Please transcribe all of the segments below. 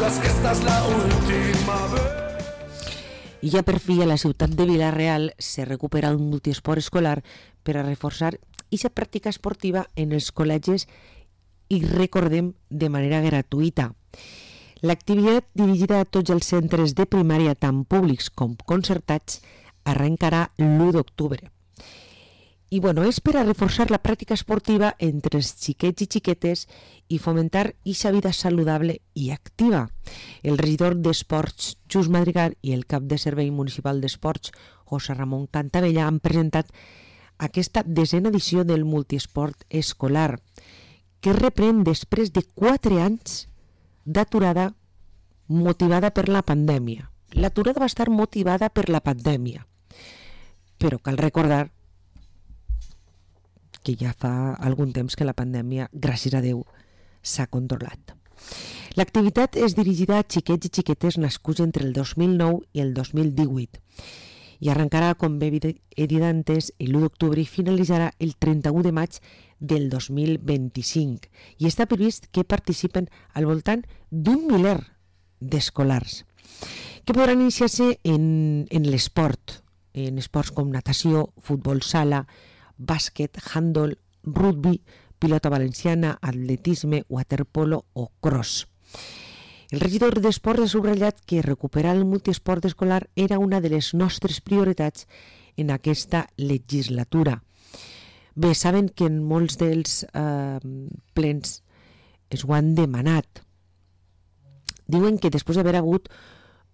juras que esta es la última vez. I ja per fi a la ciutat de Vila-real se recupera un multiesport escolar per a reforçar aquesta pràctica esportiva en els col·legis i recordem de manera gratuïta. L'activitat dirigida a tots els centres de primària, tant públics com concertats, arrencarà l'1 d'octubre. I és per a reforçar la pràctica esportiva entre els xiquets i xiquetes i fomentar aquesta vida saludable i activa. El regidor d'Esports, Xus Madrigal, i el cap de Servei Municipal d'Esports, José Ramon Cantavella, han presentat aquesta 10a edició del multiesport escolar, que reprèn després de 4 anys d'aturada motivada per la pandèmia. L'aturada va estar motivada per la pandèmia, però cal recordar que ja fa algun temps que la pandèmia, gràcies a Déu, s'ha controlat. L'activitat és dirigida a xiquets i xiquetes nascuts entre el 2009 i el 2018 i arrencarà, com bé he dit antes, l'1 d'octubre i finalitzarà el 31 de maig del 2025. I està previst que participen al voltant d'un miler d'escolars que podran iniciar-se en l'esport, en esports com natació, futbol sala, bàsquet, handball, rugby, pilota valenciana, atletisme, waterpolo o cross. El regidor d'Esports ha subratllat que recuperar el multiesport escolar era una de les nostres prioritats en aquesta legislatura. Bé, saben que en molts dels plens es ho han demanat. Diuen que després d'haver hagut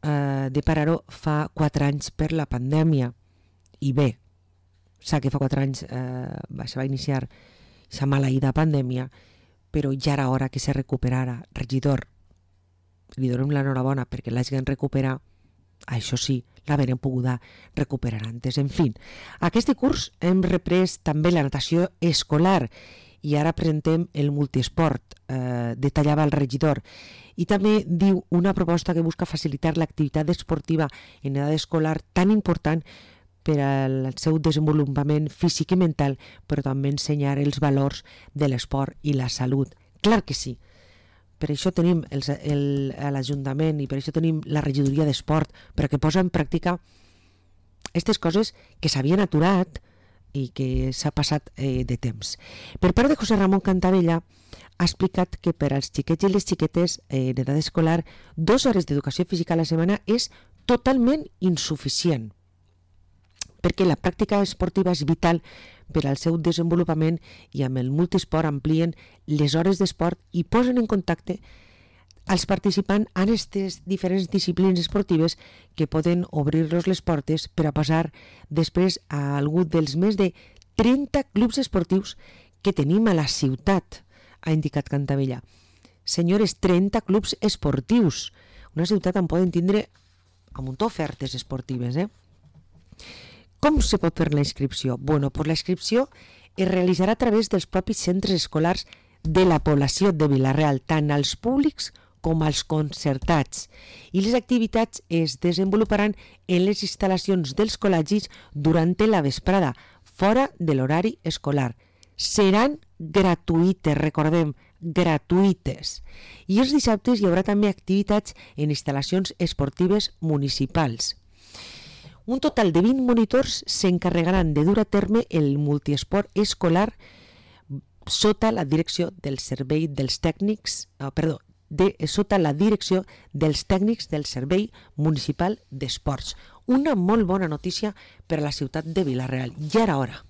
de parar-ho fa 4 anys per la pandèmia. I bé, sap que fa 4 anys se va iniciar aquesta maleïda pandèmia, però ja era hora que se recuperara. Regidor, li donem l'enhorabona perquè l'hagin recuperat, això sí, l'haurem pogut recuperar antes. En fi, aquest curs hem reprès també la natació escolar i ara presentem el multiesport, detallava el regidor. I també diu una proposta que busca facilitar l'activitat esportiva en edat escolar tan important per al seu desenvolupament físic i mental, però també ensenyar els valors de l'esport i la salut. Clar que sí. Per això tenim l'Ajuntament i per això tenim la regidoria d'esport, perquè posa en pràctica aquestes coses que s'havien aturat i que s'ha passat de temps. Per part de José Ramon Cantavella, ha explicat que per als xiquets i les xiquetes en edat escolar 2 hores d'educació física a la setmana és totalment insuficient, perquè la pràctica esportiva és vital per al seu desenvolupament i amb el multiesport amplien les hores d'esport i posen en contacte als participants en aquestes diferents disciplines esportives que poden obrir-los les portes per a passar després a algú dels més de 30 clubs esportius que tenim a la ciutat, ha indicat Cantavella. Senyores, 30 clubs esportius. Una ciutat en poden tindre un munt d'ofertes esportives, Com se pot fer la inscripció? La inscripció es realitzarà a través dels propis centres escolars de la població de Vila-real, tant als públics com als concertats. I les activitats es desenvoluparan en les instal·lacions dels col·legis durant la vesprada, fora de l'horari escolar. Seran gratuïtes, recordem, gratuïtes. I els dissabtes hi haurà també activitats en instal·lacions esportives municipals. Un total de 20 monitors s'encarregaran de dur a terme el multiesport escolar sota la direcció del servei dels tècnics, sota la direcció dels tècnics del Servei Municipal d'Esports. Una molt bona notícia per a la ciutat de Vila-real. Ja era hora.